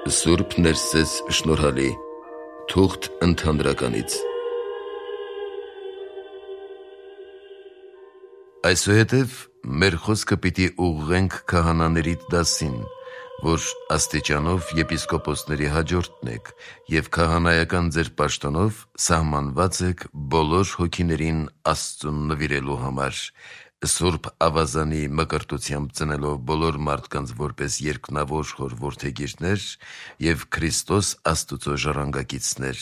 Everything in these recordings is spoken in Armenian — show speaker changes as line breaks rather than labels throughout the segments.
Սուրբ Ներսես շնորհալի, թուղթ ընդհանրականից։ Այսուհետև մեր խոսքը պիտի ուղղենք քահանաների դասին, որ աստիճանով եպիսկոպոսների հաջորդն եք և քահանայական ձեր պաշտոնով սահմանված եք բոլոր հոգիներին Աստծուն նվիրելու համար, Սուրբ ավազանի մկրտությամբ ծնելով բոլոր մարդկանց որպես երկնավոր հոր որդեգիրներ և Քրիստոս Աստուծո ժառանգակիցներ,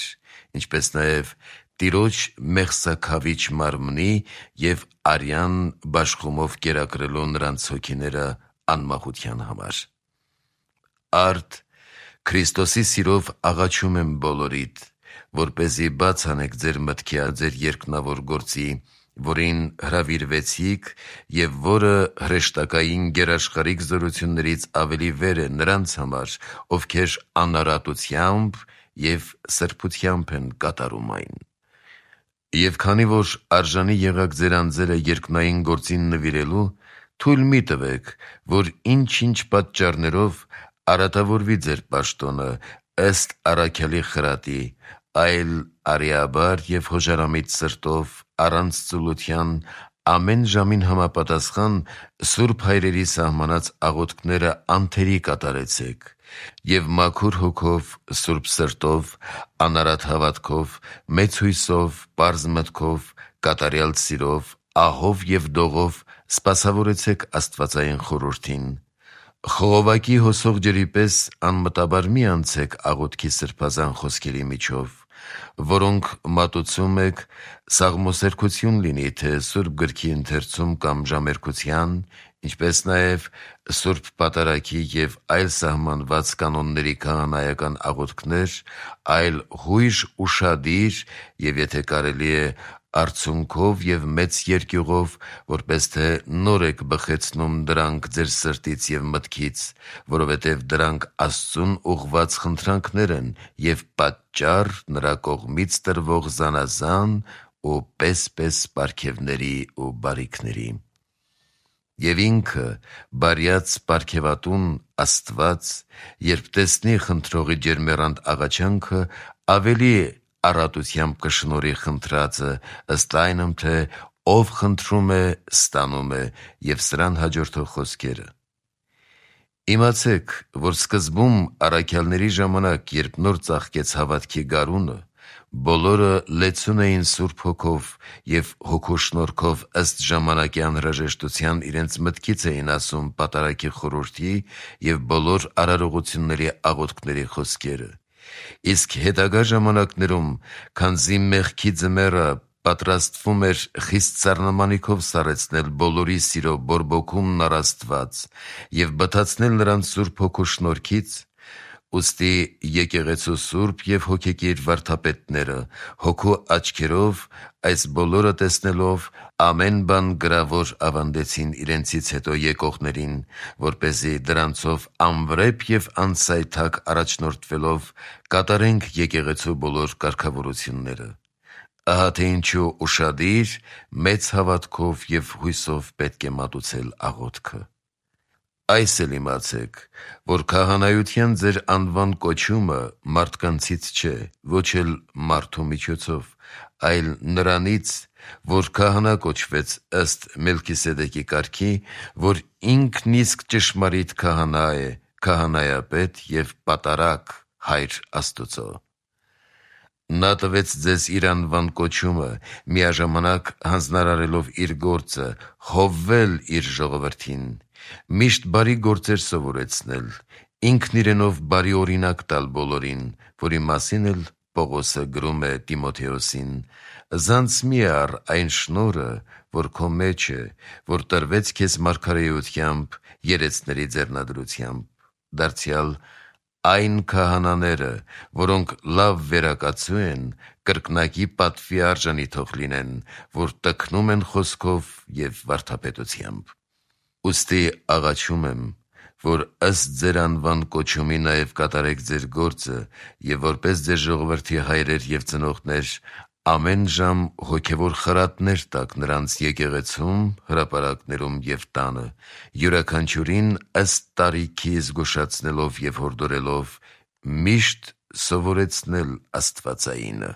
ինչպես նաև Տիրոջ մեղսաքավիչ մարմնի և արյան բաշխումով կերակրելու նրանց հոգիները անմախության համար։ Արդ Քրիստոսի սիրով աղաչում եմ բոլորիդ, որպեսզի բաց անեք ձեր մտքի ձեր երկնավոր գործի, որին հրավիրվեցիք և որը հրեշտակային գերաշխարհիկ զորություններից ավելի վեր է նրանց համար, ովքեր անարատությամբ և սրբությամբ են կատարում այն։ Եվ քանի որ արժանի եղաք ձեր անձերը երկնային գործին նվիրելու, թույլ մի տվեք, որ ինչ-ինչ պատճառներով արատավորվի ձեր պաշտոնը ըստ առաքյալի խրատի, այլ արիաբար և հոժարամիտ սրտով, առանց ծուլության, ամեն ժամին համապատասխան սուրբ հայրերի սահմանած աղոթքները անթերի կատարեցեք և մաքուր հոգով, սուրբ սրտով, անարատ հավատքով, մեծ հույսով, պարզ մտքով, կատարյալ սիրով, ահով և դողով սպասավորեցեք աստվածային խորհրդին։ Խողովակի հոսող ջրի պես անմտաբար մի անցեք աղոթքի սրբազան խոսքերի միջով, որոնք մատուցում եք, սաղմոսերգություն լինի թե Սուրբ Գրքի ընթերցում կամ ժամերգության, ինչպես նաև Սուրբ Պատարագի և այլ սահմանված կանոնների քահանայական աղոթքներ, այլ հույժ ուշադիր և եթե կարելի է արցունքով և մեծ երկյուղով, որպես թե նոր եք բխեցնում դրանք ձեր սրտից և մտքից, որովհետև դրանք Աստծուն ուղղված խնդրանքներ են և պատճառ նրա կողմից տրվող զանազան ու պես-պես պարգևների ու բարիքների։ Եվ ինքը, բարյաց պարգևատուն Աստված, երբ տեսնի խնդրողի ջերմեռանդ աղաչանքը, ավելի առատությամբ կշնորհի խնդրածը, ըստ այնմ, թե ով խնդրում է, ստանում է, և սրան հաջորդող խոսքերը։ Իմացեք, որ սկզբում առաքյալների ժամանակ, երբ նոր ծաղկեց հավատքի գարունը, բոլորը լեցուն էին Սուրբ Հոգով և Հոգու շնորհքով ըստ ժամանակի անհրաժեշտության իրենց մտքից էին ասում պատարագի խորհրդի և բոլոր արարողությունների աղոթքների խոսքերը։ Իսկ հետագա ժամանակներում, քանզի մեղքի ձմեռը պատրաստվում էր խիստ սառնամանիքով սառեցնել բոլորի սիրո բորբոքումն առ Աստված և բթացնել նրանց Սուրբ Հոգու շնորհքից, ուստի եկեղեցու սուրբ և հոգեկիր վարդապետները Հոգու աչքերով այս բոլորը տեսնելով ամեն բան գրավոր ավանդեցին իրենցից հետո եկողներին, որպեսզի դրանցով անվրեպ և անսայթակ առաջնորդվելով կատարենք եկեղեցու բոլոր կարգավորությունները։ Ահա թե ինչու ուշադիր, մեծ հավատքով և հույսով պետք է մատուցել աղոթքը։ Այս էլ իմացեք, որ քահանայության ձեր անվան կոչումը մարդկանցից չէ, ոչ էլ մարդու միջոցով, այլ նրանից, որ քահանա կոչվեց ըստ Մելքիսեդեկի կարգի, որ ինքն իսկ ճշմարիտ քահանա է, քահանայապետ և պատարագ Հայր Աստուծո։ Նա տվեց ձեզ իր անվան կոչումը, միաժամանակ հանձնարարելով իր գործը, հովվել իր ժողովրդին, միշտ բարի գործեր սովորեցնել, ինքն իրենով բարի օրինակ տալ բոլորին, որի մասին էլ Պողոսը գրում է Տիմոթեոսին. «Զանց մի առ այն շնորհը, որ քո մեջ է, որ տրվեց քեզ մարգարեությամբ, երեցների ձեռնադրությամբ, դարձյալ այն քահանաները, որոնք լավ վերակացու են, կրկնակի պատվի արժանի թող լինեն, որ տքնում են խոսքով և վարդապետությամբ։ Ուստի աղաչում եմ, որ ըստ ձեր անվան կոչումի նաև կատարեք ձեր գործը և որպես ձեր ժողովրդի հայրեր և ծնողներ ամեն ժամ հոգևոր խրատներ տաք նրանց եկեղեցում, հրապարակներում և տանը, յուրաքանչյուրին ըստ տարիքի զգուշացնելով և հորդորելով միշտ սովորեցնել աստվածայինը։